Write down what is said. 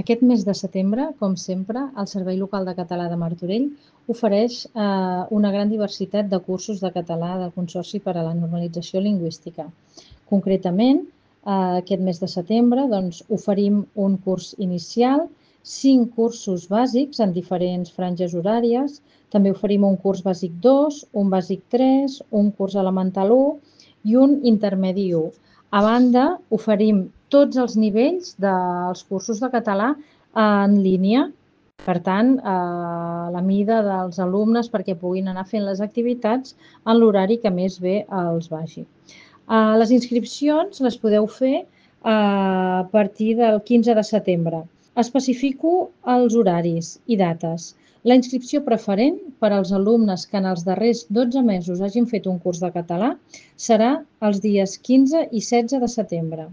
Aquest mes de setembre, com sempre, el Servei Local de Català de Martorell ofereix una gran diversitat de cursos de català del Consorci per a la Normalització Lingüística. Concretament, aquest mes de setembre oferim un curs inicial, 5 cursos bàsics en diferents franges horàries, també oferim un curs bàsic 2, un bàsic 3, un curs elemental 1 i un intermedi 1. A banda, oferim tots els nivells dels cursos de català en línia, per tant, a la mida dels alumnes perquè puguin anar fent les activitats en l'horari que més bé els vagi. Les inscripcions les podeu fer a partir del 15 de setembre. Especifico els horaris i dates. La inscripció preferent per als alumnes que en els darrers 12 mesos hagin fet un curs de català serà els dies 15 i 16 de setembre.